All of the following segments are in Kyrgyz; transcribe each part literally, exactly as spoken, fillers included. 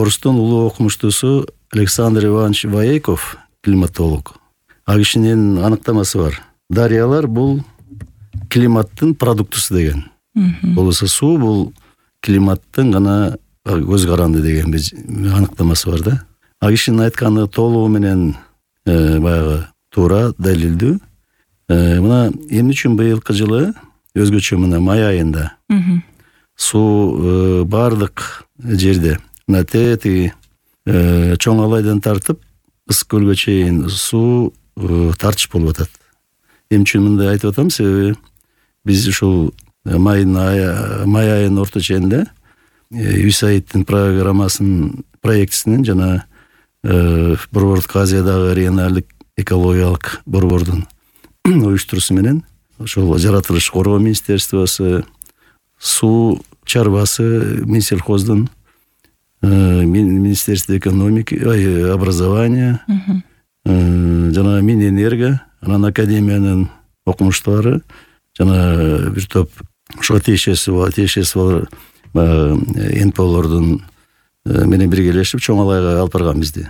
Орустун улуу окумуштуусу Александр Иванович Воейков, климатолог. А кишинин аныктамасы бар. Дарыялар бул климаттын продуктусу деген. Болбосо суу бул климаттын гана көз каранды деген аныктамасы бар да. А кишинин айтканы толугу менен баягы туура, далилдүү. Мына эмне үчүн быйылкы жылы өзгөчө мына май айында суу бардык жерде мына тети чоң алайдан тартып ысык көлгө чейин суу тартыш болуп атат. Эмне үчүн мындай айтып атам? Себеби биз ушул майдын май айынын орто ченинде ЮСАИДтин программасынын проектисинин жана Борбордук Азиядагы регионалдык экологиялык борбордун уюштуруусу менен ошол жаратылыш коргоо министерствосу, суу чарбасы, Минсельхоздун, Министерство экономики, образования, жана Минэнерго, анан академиянын окумуштуулары жана бир топ ошо тиешеси тиешеси эн пэ олордун менен биргелешип чоң алайга алып барган бизди.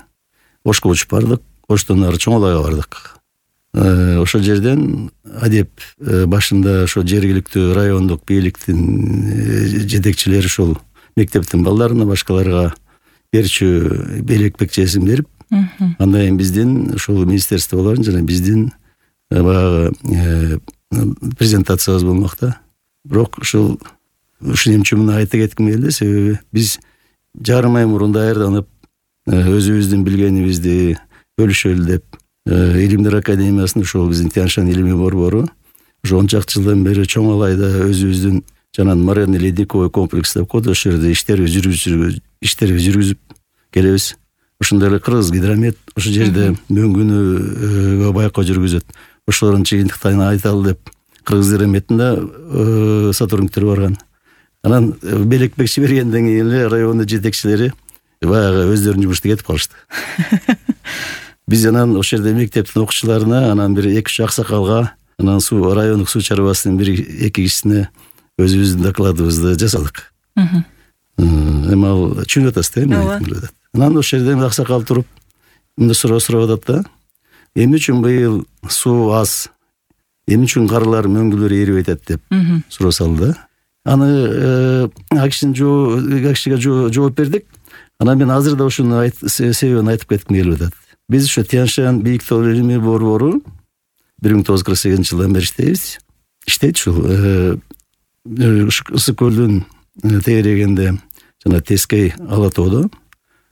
Ошко учуп бардык, Оштон ары чоң алайга бардык. Ошол жерден адеп башында ошо жергиликтүү райондук бийликтин жетекчилери ушул мектептин балдарына, башкаларга берчү белек чесим берип, андан кийин биздин ушул министерстволордун жана биздин баягы презентациябыз болмок да. Бирок ушул ушун эмне үчүн айта кетким келди? Себеби биз жарым ай мурун даярданып, өзүбүздүн билгенибизди бөлүшөлү деп Илимдер академиясынын ушул биздин Тянь-Шань илимий борбору ошо он чакты жылдан бери чоң алайда өзүбүздүн жана моренный ледниковый комплекс деп коет, ошол жерде иштерди жүргүзүп иштерди жүргүзүп келебиз. Ошондой эле Кыргыз гидромет ошол жерде мөңгүнү байкоо жүргүзөт. Ошолордун жыйынтыктарын айталы деп Кыргыз гидрометтин да сотрудниктери барган. Анан белек бекчи бергенден кийин эле райондун жетекчилери баягы өздөрүнүн жумушуна кетип калышты. Биз анан ошол жерде мектептин окуучуларына, анан бир эки үч аксакалга, анан суу райондук суу чарбасынын бир эки кишисине өзүбүздүн докладыбызды жасадык. Эми ал түшүнүп атасыз да, эмне? Анан ошол жерде аксакал туруп мындай суроо сурап атат да. Эмне үчүн быйыл суу аз? Эмне үчүн карлар, мөңгүлөр эрип атат деп суроо салды да. Аны акишиге жооп бердик. Анан мен азыр да ушуну себебин айтып кетким келип атат. Биз ушу Тянь-Шань бийик тоо илимий борбору бир миң тогуз жүз кырк сегизинчи жылдан бери иштейбиз. Иштейт ушул ысык көлдүн тегерегинде жана Тескей ала тоодо,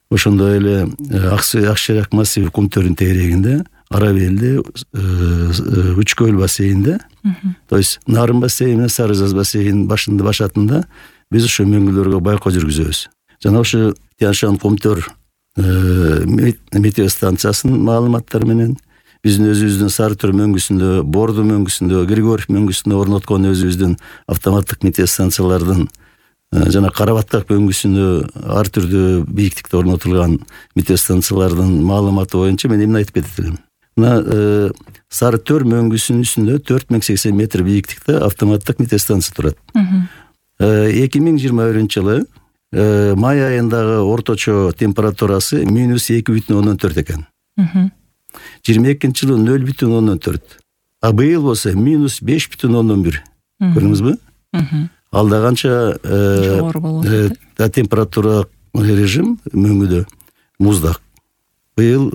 ошондой эле Акшерак массив кум төрүнүн тегерегинде, Арабелде, Үч көл бассейнинде, то есть Нарын бассейни, Сарызаз бассейнинин башында башатында биз ошо мөңгүлөргө байкоо жүргүзөбүз. Жана ошо Тянь-Шань кум төр метеостанциясынын маалыматтары менен биздин өзүбүздүн Сары төр мөңгүсүндө, Борду мөңгүсүндө, Григорьев мөңгүсүндө орноткон өзүбүздүн автоматтык метеостанциялардын жана Карабаттак мөңгүсүндө ар түрдүү бийиктикте орнотулган метеостанциялардын маалыматы боюнча мен эмне айтып кетет элем. Мына Сары төр мөңгүсүнүн үстүндө төрт миң сексен метр бийиктикте автоматтык метеостанция турат. эки миң жыйырма биринчи жылы май айындагы орточо температурасы минус эки бүтүн ондон төрт экен. жыйырма экинчи жылы нөл бүтүн ондон төрт. А быйыл болсо минус беш бүтүн ондон бир. Көрдүңүзбү? Алда канча температура режим мөңгүдө муздак. Быйыл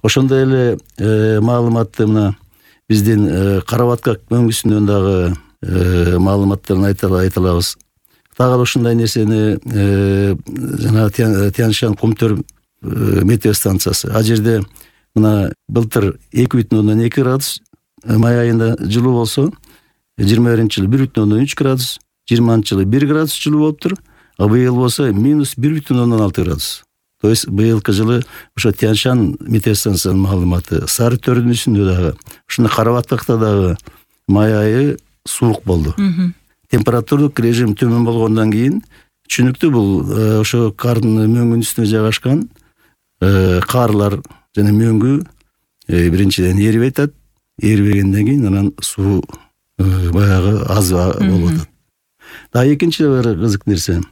ошондой эле маалыматты мына биздин Карабаттак мөңгүсүнөн дагы маалыматтарын айталабыз. Дагы ушундай нерсени жана Тянь-Шань кум төр метеостанциясы. А жерде мына былтыр эки бүтүн ондон эки градус май айында жылуу болсо, жыйырма биринчи жылы бир бүтүн ондон үч градус, жыйырманчы жылы бир градус жылуу болуптур, а быйыл болсо минус бир бүтүн ондон алты градус. То есть быйылкы жылы ошо Тянь-Шань метеостанциясынын маалыматы, Сары төрдүн үстүндө дагы, ушундай Карабаттакта дагы май айы суук болду. Температуралык режим төмөн болгондон кийин түшүнүктүү бул ошо кардын мөңгүнүн үстүнө жайгашкан карлар жана мөңгү биринчиден эрип атат, эрибегенден кийин анан суу баягы аз болуп атат. Да экинчи бир кызык нерсе.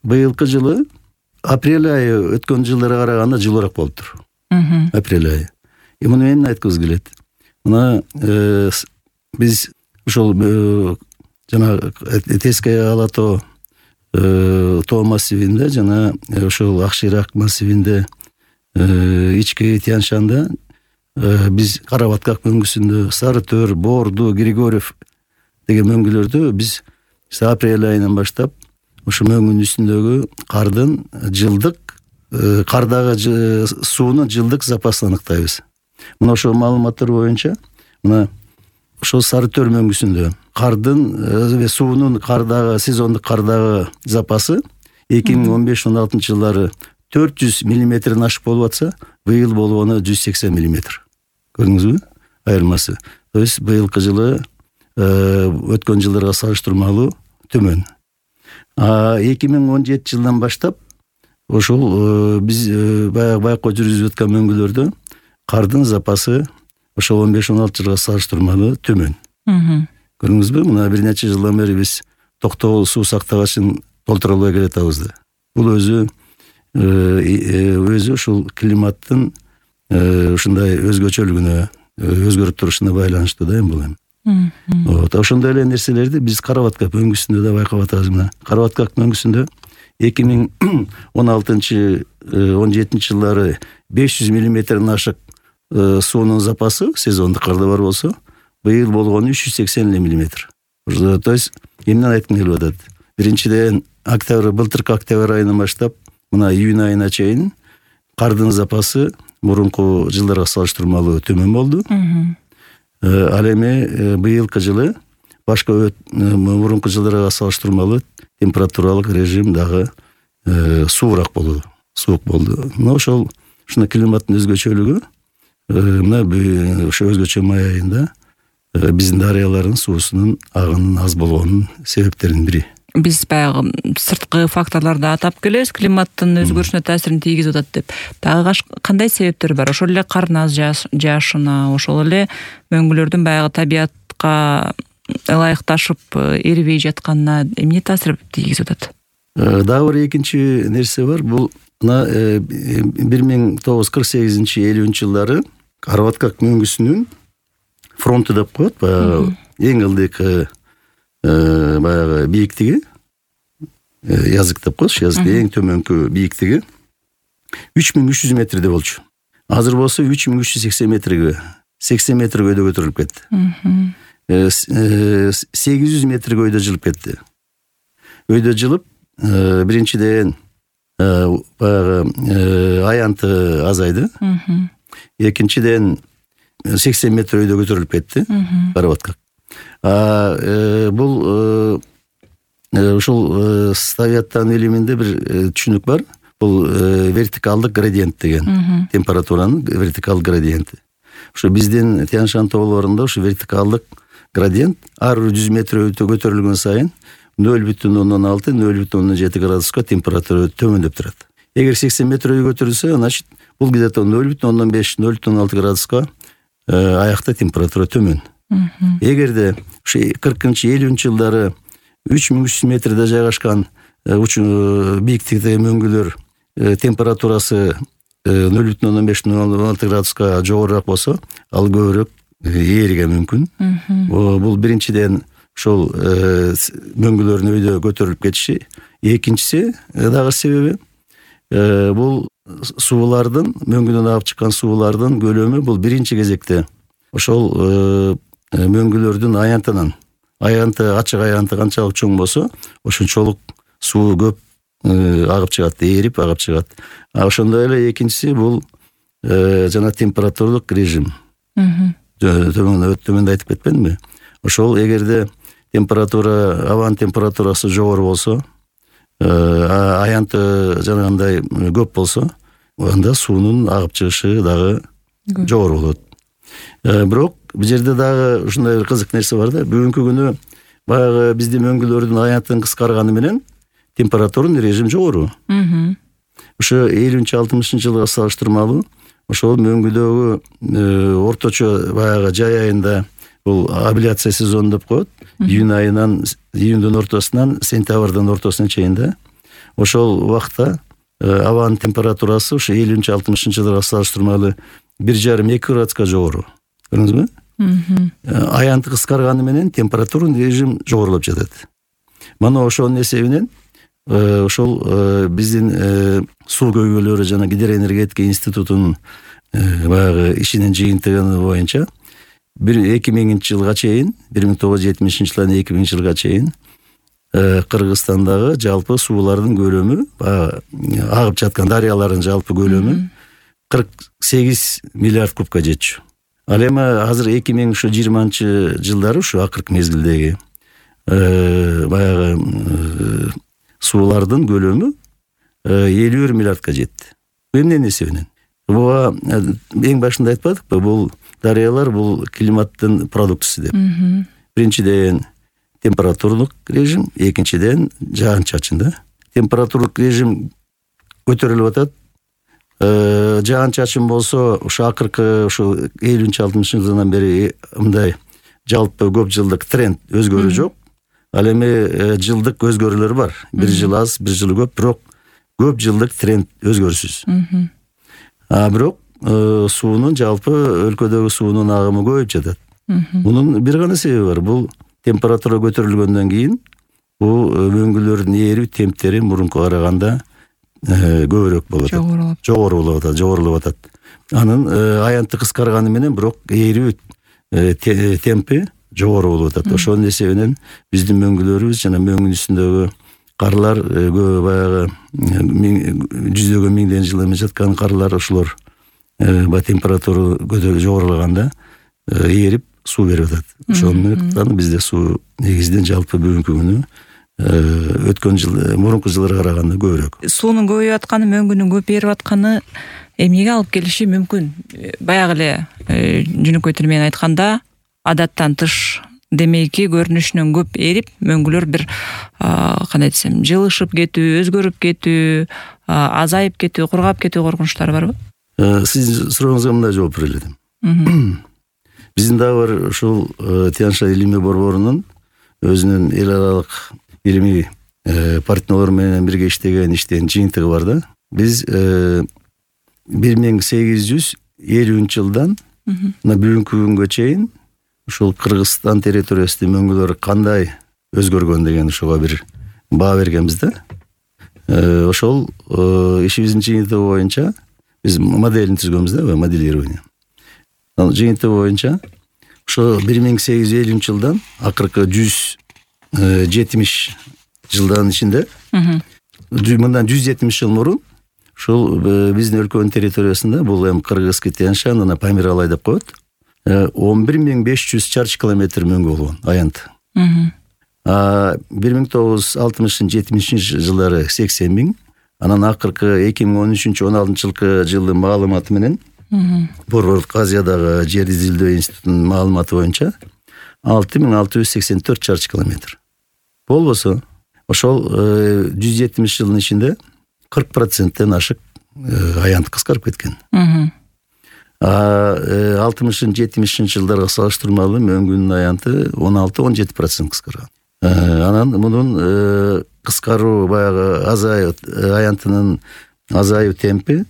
Быйылкы жылы апрель айы өткөн жылдарга караганда жылуураак болуптур. Апрель айы. И муну эмне айткыбыз келет? Мына биз ошол жана Теская ала тоо тоо массивинде жана ошол Акширак массивинде ички Тянь-Шанда биз Кара-Баткак мөңгүсүндө Сары Төр, Борду, Григорьев деген мөңгүлөрдө биз апрель айынан баштап ошо мөңгүнүн үстүндөгү кардын жылдык кардагы суунун жылдык запасын аныктайбыз. Мына ошол маалыматтар боюнча мына ошол Сары Төр мөңгүсүндө кардын суунун кардагы сезондук кардагы запасы эки миң он беш он алтынчы жылдары төрт жүз миллиметрден ашык болуп атса, быйыл болгону жүз сексен миллиметр. Көрдүңүзбү? Айырмасы. То есть быйылкы жылы өткөн жылдарга салыштырмалуу төмөн. А эки миң он жетинчи жылдан баштап ошол биз баягы байкоо жүргүзүп аткан мөңгүлөрдө кардын запасы ошол он беш он алты жылга салыштырмалуу төмөн. Көрдүңүзбү? Мына бир нече жылдан бери биз токтогул суу сактагычын толтура албай келатабыз да. Бул өзү өзү ушул климаттын ушундай өзгөчөлүгүнө, өзгөрүп турушуна байланыштуу да эми бул эми. Вот, ошондой эле нерселерди биз Кара-Баткак мөңгүсүндө да байкап атабыз. Мына Кара-Баткак мөңгүсүндө эки миң он алтынчы он жетинчи жылдары беш жүз миллиметрден ашык суунун запасы сезондук карда бар болсо, быйыл болгону үч жүз сексен миллиметр. То есть эмнени айткым келип атат? Биринчиден октябрь, былтыркы октябрь айынан баштап мына июнь айына чейин кардын запасы мурунку жылдарга салыштырмалуу төмөн болду. Ал эми быйылкы жылы башка мурунку жылдарга салыштырмалуу температуралык режим дагы суураак болду, суук болду. Мына ошол ушуна климаттын өзгөчөлүгү мына ошо өзгөчө май айында биздин дарыялардын суусунун агынын аз болгонунун себептеринин бири. Биз баягы сырткы факторлорду атап келебиз, климаттын өзгөрүшүнө таасирин тийгизип атат деп. Дагы кандай себептер бар? Ошол эле кардын аз жаашына, ошол эле мөңгүлөрдүн баягы табиятка ылайыкташып эрибей жатканына эмне таасир тийгизип атат? Дагы бир экинчи нерсе бар. Бул мына бир миң тогуз жүз кырк сегизинчи элүүнчү жылдары Кара-Баткак мөңгүсүнүн фронту деп коет, баягы эң ылдыйкы баягы бийиктиги, язык деп коет, язык эң төмөнкү бийиктиги үч миң үч жүз метрде болчу. Азыр болсо үч миң үч жүз сексен метрге, сексен метр көйдө көтөрүлүп кетти. сегиз жүз метр көйдө жылып кетти. Өйдө жылып, биринчиден баягы аянты азайды. Экинчиден сексен метр өйдө көтөрүлүп кетти Кара-Баткак. Бул ушул Советтин илиминде бир түшүнүк бар. Бул вертикалдык градиент деген, температуранын вертикалдык градиенти. Ошо биздин Тянь-Шань тоолорунда ошо вертикалдык градиент ар жүз метр өтө көтөрүлгөн сайын нөл бүтүн ондон алты — нөл бүтүн ондон жети градуска температура төмөндөп турат. Эгер сексен метр өйдө көтөрүлсө, значит бул где-то нөл бүтүн ондон беш — нөл бүтүн ондон алты градуска аякта температура төмөн. Эгерде ушу кыркынчы элүүнчү жылдары үч миң үч жүз метрде жайгашкан бийиктикте мөңгүлөр температурасы нөл бүтүн ондон беш — нөл бүтүн ондон алты градуска жогорураак болсо, ал көбүрөөк ээрige мүмкүн. Бул биринчиден ошол мөңгүлөрдүн өйдө көтөрүлүп кетиши. Экинчиси дагы себеби бул суулардын, мөңгүдөн агып чыккан суулардын көлөмү бул биринчи кезекте ошол мөңгүлөрдүн аянтынан, аянты, ачык аянты канчалык чоң болсо, ошончолук суу көп агып чыгат, эрип агып чыгат. А ошондой эле экинчиси бул жана температуралык режим. Төмөндө айтып кетпедимби? Ошол эгерде температура, абанын температурасы жогору болсо, аянты жанагындай көп болсо, анда суунун агып чыгышы дагы жогору болот. Бирок бул жерде дагы ушундай бир кызык нерсе бар да. Бүгүнкү күнү баягы биздин мөңгүлөрдүн аянтын кыскарганы менен температуралык режим жогору. Ошо элүүнчү алтымышынчы жылга салыштырмалуу ошол мөңгүдөгү орточо баягы жай айында бул абляция сезону деп коет. Июнь айынан, июндун ортосунан сентябрдын ортосуна чейин да. Ошол убакта абанын температурасы ушу элүүнчү алтымышынчы жылдарга салыштырмалуу бир жарым эки градуска жогору. Көрдүңүзбү? Аянты кыскарганы менен температура режим жогорулуп жатат. Мана ошонун эсебинен ошол биздин суу көйгөйлөрү жана гидроэнергетика институтунун баягы ишинин жыйынтыгы боюнча бир эки миңинчи жылга чейин, бир миң тогуз жүз жетимишинчи жылдан эки миңинчи жылга чейин Кыргызстандагы жалпы суулардын көлөмү, агып жаткан дарыялардын жалпы көлөмү кырк сегиз миллиард кубка жетчү. Ал эми азыр эки миң жыйырманчы жылдары ушу акыркы мезгилдеги баягы суулардын көлөмү элүү бир миллиардка жетти. Эмненин эсебинен? Буга эң башында айтпадыкпы, бул дарыялар бул климаттын продуктусу деп. Биринчиден температуралык режим, экинчиден жаан-чачын да. Температуралык режим көтөрүлүп атат. Жаан-чачын болсо ушу акыркы ушу элүүнчү алтымышынчы жылдан бери мындай жалпы көп жылдык тренд өзгөрүү жок. Ал эми жылдык өзгөрүүлөр бар. Бир жыл аз, бир жыл көп, бирок көп жылдык тренд өзгөрүсүз. А бирок суунун жалпы өлкөдөгү суунун агымы көбөйүп жатат. Мунун бир гана себеби бар. Бул температура көтөрүлгөндөн кийин бул мөңгүлөрдүн ээрүү темптери мурункуга караганда көбүрөөк болуп атат. Жогору болуп атат, жогорулуп атат. Анын аянты кыскарганы менен бирок ээрүү темпи жогору болуп атат. Ошонун эсебинен биздин мөңгүлөрүбүз жана мөңгүнүн үстүндөгү карлар баягы жүздөгөн миңдеген жыл эме жаткан карлар ошолор баягы температура көтөрүлүп жогорулаганда ээрип суу берип атат. Ошондуктан бизде суу негизинен жалпы бүгүнкү күнү өткөн жыл мурунку жылдарга караганда көбүрөөк. Суунун көбөйүп атканы, мөңгүнүн көп ээрип атканы эмнеге алып келиши мүмкүн? Баягы эле жөнөкөй тил менен айтканда, адаттан тыш демейки көрүнүшүнөн көп ээрип, мөңгүлөр бир кандай десем, жылышып кетүү, өзгөрүп кетүү, азайып кетүү, кургап кетүү коркунучтары барбы? Сиздин сурооңузга мындай жооп бере элем. Биздин дагы бар ушул Тянь-Шань илимий борборунун өзүнүн эл аралык илимий партнерлор менен бирге иштеген иштин жыйынтыгы бар да. Биз бир миң сегиз жүз элүүнчү жылдан мына бүгүнкү күнгө чейин ушул Кыргызстан территориясында мөңгүлөр кандай өзгөргөн деген ушуга бир баа бергенбиз да. Ошол ишибиздин жыйынтыгы боюнча биз моделин түзгөнбүз да, моделирование. Жыйынтыгы боюнча ошо бир миң сегиз жүз элүүнчү жылдан акыркы жүз жетимиш жылдын ичинде мындан жүз жетимиш жыл мурун ушул биздин өлкөнүн территориясында бул эми Кыргызский Тянь-Шань, жана Памир-Алай деп коет, он бир миң беш жүз чарчы километр мөңгү болгон аянт. А бир миң тогуз жүз алтымышынчы жетимишинчи жылдары сексен миң, анан акыркы эки миң он үчүнчү он алтынчы жылкы жылдын маалыматы менен Борборлук Азиядагы жер изилдөө институтунун маалыматы боюнча алты миң алты жүз сексен төрт чарчы километр. Болбосо ошол жүз жетимиш жылдын ичинде кырк проценттен ашык аянт кыскарып кеткен. А алтымышынчы жетимишинчи жылдарга салыштырмалуу мөңгүнүн аянты он алты он жети процент кыскарган. Анан мунун кыскаруу баягы азайып аянтынын азайуу темпи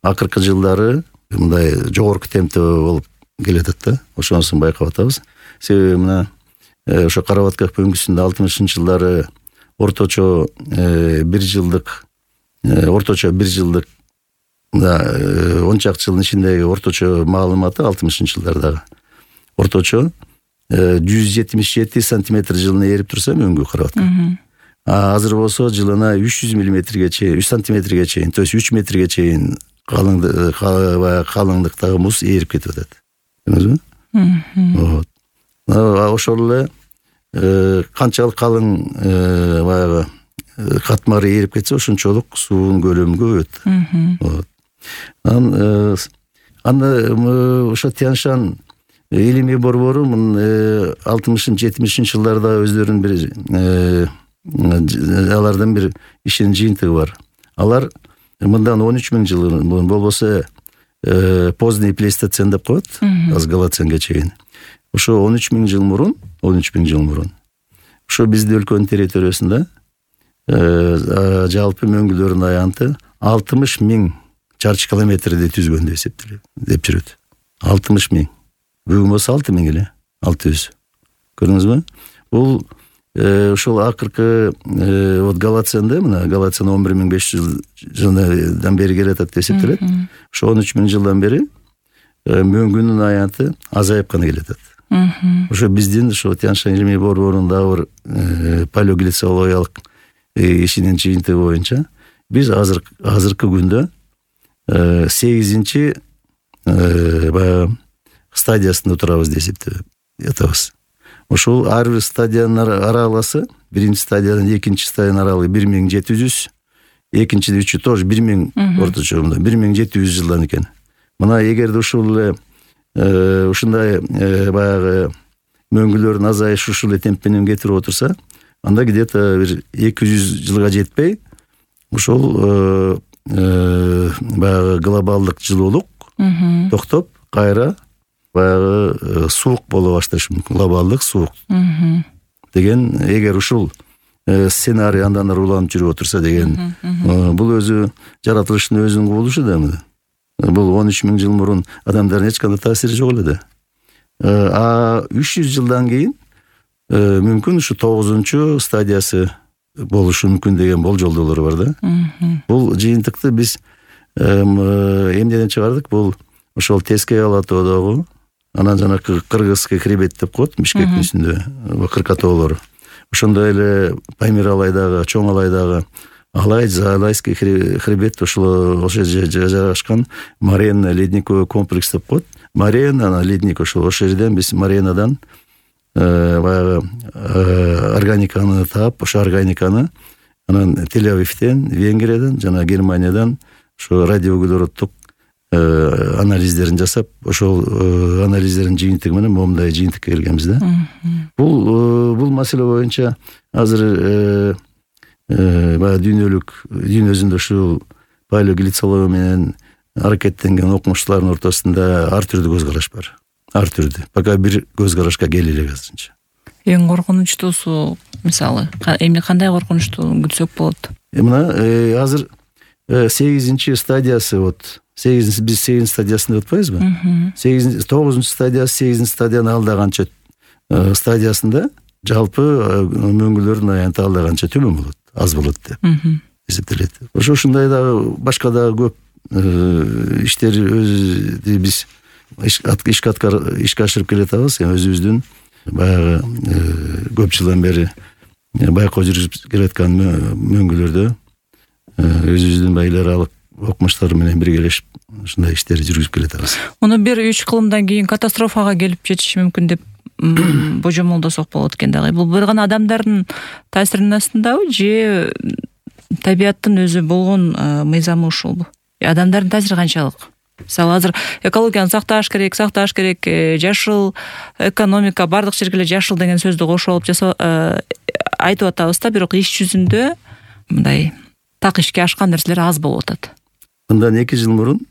акыркы жылдары мындай жогорку темпте болуп келатат да. Ошонусун байкап атабыз. Себеби мына ошо Карабатка мөңгүсүндө алтымышынчы жылдары орточо бир жылдык орточо бир жылдык он чакты жылдын ичиндеги орточо маалыматы алтымышынчы жылдардагы орточо жүз жетимиш жети сантиметр жылына ээрип турса мөңгү Карабатка. А азыр болсо жылына үч жүз миллиметрге чейин, үч сантиметрге чейин, то есть үч метрге чейин калыңдыктагы муз ээрип кетип атат. Вот. Ошол эле канчалык калың баягы катмары ээрип кетсе, ошончолук суунун көлөмү көбөйөт. Вот. Анан аны ошо Тянь-Шань илимий борбору алтымышынчы жетимишинчи жылдарда өздөрүнүн бир алардын бир ишинин жыйынтыгы бар. Алар мындан он үч миң жыл болбосо поздний плейстоцен деп коет, аз голоценге чейин. Ошо он үч миң жыл мурун, он үч миң жыл мурун ошо биздин өлкөнүн территориясында жалпы мөңгүлөрдүн аянты алтымыш миң чарчы километрди түзгөн деп эсептелет деп жүрөт. алтымыш миң. Бүгүн болсо алты миң эле. алты жүз. Көрдүңүзбү? Бул ошол акыркы вот Галациянда, мына Галациянын он бир миң беш жүз жылдан бери келатат деп эсептелет. Ошо он үч миң жылдан бери мөңгүнүн аянты азайып гана келатат. Ошо биздин ошо Тянь-Шань илимий борборунун палеоглицологиялык ишинин жыйынтыгы боюнча биз азыр азыркы күндө сегизинчи баягы стадиясында турабыз деп эсептеп атабыз. Ошол ар бир стадиянын аралыгы, биринчи стадиядан экинчи стадиянын аралыгы бир миң жети жүз, экинчи үчү тоже бир миң орточо бир миң жети жүз жылдан экен. Мына эгерде ушул эле ушундай баягы мөңгүлөрдүн азайышы ушул эле темп менен кетирип отурса, анда где-то бир эки жүз жылга жетпей ушул баягы глобалдык жылуулук токтоп, кайра баягы суук боло башташы мүмкүн. Глобалдык суук деген, эгер ушул сценарий андан ары уланып жүрүп отурса деген, бул өзү жаратылыштын өзүнүн кубулушу да. Бул он үч миң жыл мурун адамдардын эч кандай таасири жок эле да. А үч жүз жылдан кийин мүмкүн ушу тогузунчу стадиясы болушу мүмкүн деген болжолдоолор бар да. Бул жыйынтыкты биз эмнеден чыгардык? Бул ошол Тескей Ала тоодогу, анан жанакы Кыргызский хребет деп коет, Бишкектин үстүндө кыркатоолор. Ошондой эле Памир Алайдагы, Чоң Алайдагы Алай, Алайский хребет, ошол ошол жерде жайгашкан Марена ледниковый комплекс деп коет. Марена, ледник ошол ошол жерден биз Маренадан баягы органиканы таап, ошо органиканы анан Тель-Авивден, Венгрияден жана Германиядан ошо радиоуглероддук анализдерин жасап, ошол анализдердин жыйынтыгы менен момундай жыйынтыкка келгенбиз да. Бул бул маселе боюнча азыр баягы дүйнөлүк дүйнө жүзүндө ушул палеоглицология менен аракеттенген окумуштуулардын ортосунда ар түрдүү көз караш бар. Ар түрдүү. Пока бир көз карашка келе элек азырынча. Эң коркунучтуусу, мисалы, эмне кандай коркунучтуу күтсөк болот? Мына азыр сегизинчи стадиясы, вот сегизинчи биз сегизинчи стадиясында өтпөйбүзбү? сегизинчи тогузунчу стадиясы, сегизинчи стадиянын алдагача стадиясында жалпы мөңгүлөрдүн аянты алдагача төмөн болот, аз болот деп эсептелет. Ошо ушундай дагы башка дагы көп иштер өзү биз ишке ишке ашырып келатабыз. Өзүбүздүн баягы көп жылдан бери байкоо жүргүзүп келаткан мөңгүлөрдө өзүбүздүн эл аралык окумуштар менен биргелешип ушундай иштерди жүргүзүп келатабыз. Муну бир үч кылымдан кийин катастрофага келип жетиши мүмкүн деп божомолдосок болот экен дагы. Бул бир гана адамдардын таасиринин астындабы же табияттын өзү болгон мыйзамы ушулбу? Адамдардын таасири канчалык? Мисалы азыр экологияны сакташ керек, сакташ керек, жашыл экономика, бардык жерге эле жашыл деген сөздү кошуп алып жасап айтып атабыз да, бирок иш жүзүндө мындай так ишке ашкан нерселер аз болуп атат. Мындан эки жыл мурун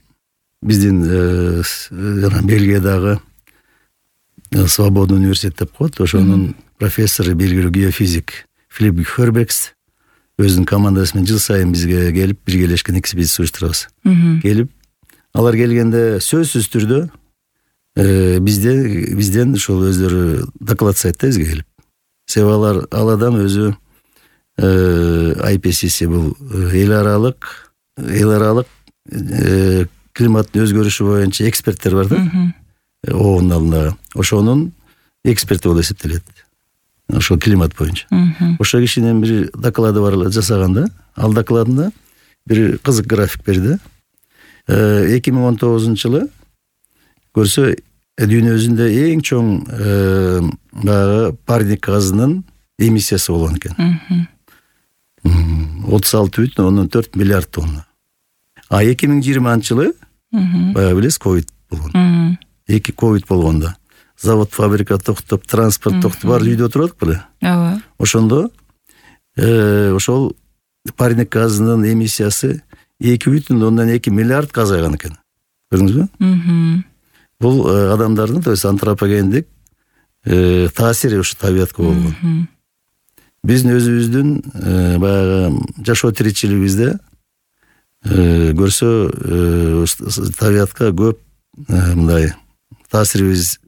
биздин жана Бельгиядагы Свободный университет деп коет, ошонун профессору, белгилүү геофизик Филипп Хербекс өзүнүн командасы менен жыл сайын бизге келип биргелешкен экспедиция уюштурабыз. Келип, алар келгенде сөзсүз түрдө бизде бизден ошол өздөрү доклад жасайт да бизге келип. Себеби алар ал адам өзү ай пи си си бул эл аралык эл аралык климаттын өзгөрүшү боюнча эксперттер бар да. Оонун алдындагы. Ошонун эксперти болуп эсептелет. Ошо климат боюнча. Ошо кишинин бир доклады бар жасаганда, ал докладында бир кызык график берди. эки миң он тогузунчу жылы көрсө дүйнө жүзүндө эң чоң баягы парник газынын эмиссиясы болгон экен. отуз алты бүтүн ондон төрт миллиард тонна. А эки миң жыйырманчы жылы баягы билесиз, ковид болгон. Эки ковид болгондо завод, фабрика токтоп, транспорт токтоп, баары үйдө отурдук беле? Ооба. Ошондо ошол парник газынын эмиссиясы эки бүтүн ондон эки миллиард азайган экен. Көрдүңүзбү? Бул адамдардын, то есть антропогендик таасири ушу табиятка болгон. Биздин өзүбүздүн баягы жашоо тиричилигибизде көрсө табиятка көп мындай таасирибиз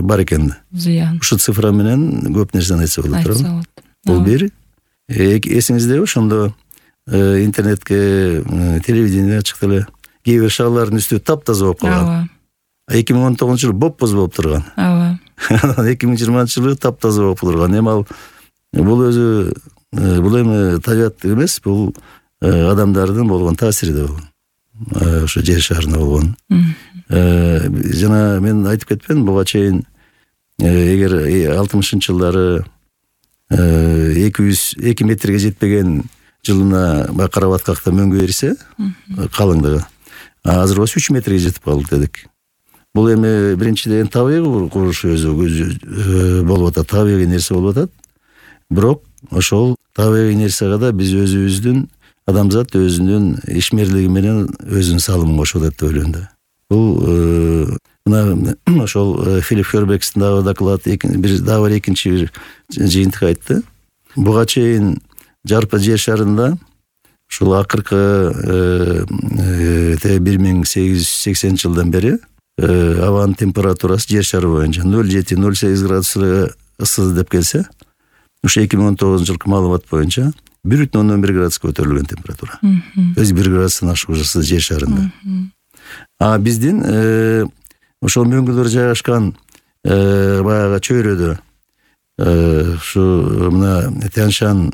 бар экен. Зыян. Ушу цифра менен көп нерсени айтса болот, туурабы? Бул бир. Эсиңизде ошондо интернетке, телевидение чыкты эле. Кээ бир шаарлардын үстү таптаза болуп калган. эки миң он тогузунчу жылы боп-боз болуп турган. Ооба. эки миң жыйырманчы жылы таптаза болуп турган. Эми ал бул өзү бул эми табият эмес, бул адамдардын болгон таасири да бул. Ошо жер шарына болгон. Жана мен айтып кетпедим, буга чейин эгер алтымышынчы жылдары эки жүз эки метрге жетпеген жылына карабаткакта мөңгү берсе, калыңдыгы. Азыр болсо үч метрге жетип калдык дедик. Бул эми биринчиден табигый куруш өзү болуп атат, табигый нерсе болуп атат. Бирок ошол табигый нерсеге да биз өзүбүздүн, адамзат өзүнүн ишмерлиги менен өзүнүн салымын кошуп атат деп ойлойм да. Бул мына ошол Филипп Хербекстин дагы доклад, бир дагы бир экинчи бир жыйынтык айтты. Буга чейин жарпы жер шарында ушул акыркы бир миң сегиз жүз сексенинчи жылдан бери абанын температурасы жер шары боюнча ноль жети ноль сегиз градус ыссы деп келсе, ушу эки миң он тогузунчу жылкы маалымат боюнча бир бүтүн ондон бир градуска көтөрүлгөн температура. То есть бир градустан ашык ыссы жер шарында. А биздин ошол мөңгүлөр жайгашкан баягы чөйрөдө ушу мына Тянь-Шань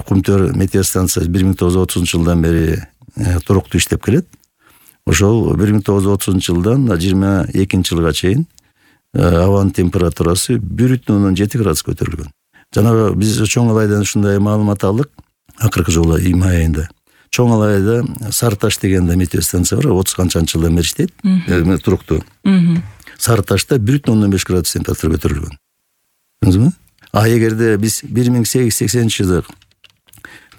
кумтөр метеостанциясы бир миң тогуз жүз отузунчу жылдан бери туруктуу иштеп келет. Ошол бир миң тогуз жүз отузунчу жылдан жыйырма экинчи жылга чейин абанын температурасы бир бүтүн ондон жети градус көтөрүлгөн. Жанагы биз Чоң Алайдан ушундай маалымат алдык акыркы жылы май айында. Чоң Алайда Сарыташ деген да метеостанция бар, отуз канчанчы жылдан бери иштейт, туруктуу. Сарыташта бир бүтүн ондон беш градус температура көтөрүлгөн. Көрдүңүзбү? А эгерде биз бир миң сегиз жүз сексенинчи жылы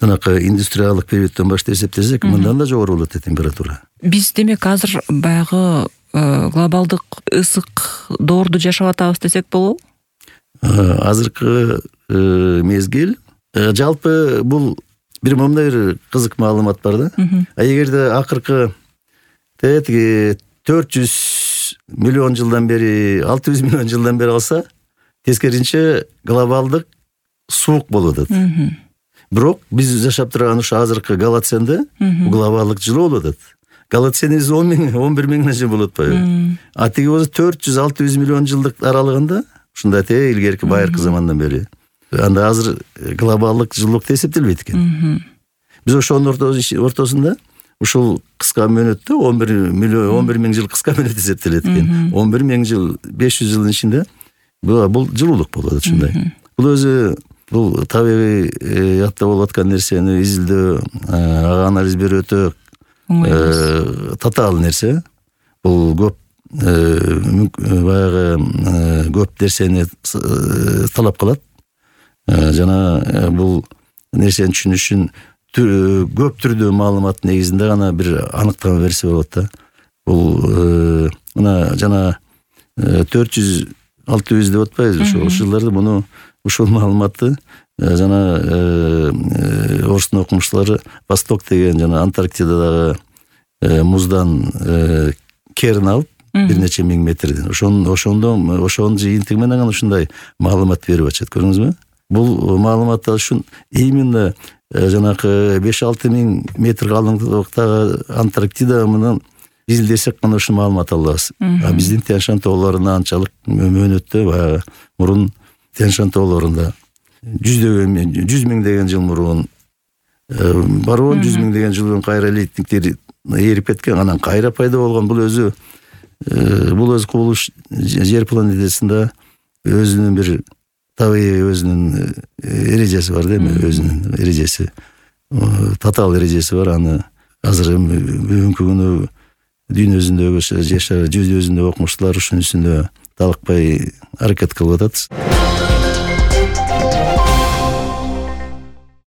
жанакы индустриалдык периоддон баштап эсептесек, мындан да жогору болот температура. Биз демек азыр баягы глобалдык ысык доорду жашап атабыз десек болобу? Азыркы мезгил жалпы бул бир момундай бир кызык маалымат бар да. А эгерде акыркы тетиги төрт жүз миллион жылдан бери, алты жүз миллион жылдан бери алса, тескерисинче глобалдык суук болуп атат. Бирок биз жашап турган ушу азыркы Голоценде глобалдык жылуу болуп атат. Голоцен он миң, он бир миңге чейин болуп атпайбы? А тиги болсо төрт жүз алты жүз миллион жылдык аралыгында ушундай те илгерки байыркы замандан бери. Анда азыр глобалдык жылуулук деп эсептелбейт экен. Биз ошонун ортосунда ушул кыска мөөнөттө он бир миллион, он бир миң жыл кыска мөөнөт эсептелет экен. он бир миң жыл, беш жүз жылдын ичинде бул жылуулук болот ушундай. Бул өзү бул табигый ятта болуп аткан нерсени изилдөө, ага анализ берүү өтө татаал нерсе. Бул көп баягы көп нерсени талап кылат. Жана бул нерсени түшүнүш үчүн көп түрдүү маалымат негизинде гана бир аныктама берсе болот да. Бул мына жана төрт жүз алты жүз деп атпайбызбы, ошол жылдарда муну ушул маалыматты жана орустун окумуштуулары Восток деген жана Антарктидадагы муздан керин алып бир нече миң метрден ошондо ошонун жыйынтыгы менен ушундай маалымат берип атышат. Көрдүңүзбү? Бул маалыматтар үчүн именно жанакы беш алты миң метр калыңдыктагы Антарктида менен изилдесек гана ушул маалымат алабыз. А биздин Тянь-Шань тоолорунда анчалык мөөнөттө баягы мурун Тянь-Шань тоолорунда жүздөгөн, жүз миңдеген жыл мурун барбон, жүз миңдеген жыл мурун кайра лейтниктер эрип кеткен, анан кайра пайда болгон. Бул өзү бул өзү кубулуш жер планетасында өзүнүн бир табигый өзүнүн эрежеси бар да, өзүнүн эрежеси, татаал эрежеси бар. Аны азыр бүгүнкү күнү дүйнө жүзүндөгү жер шары жүз жүзүндөгү окумуштуулар ушунун үстүндө талыкпай аракет кылып атат.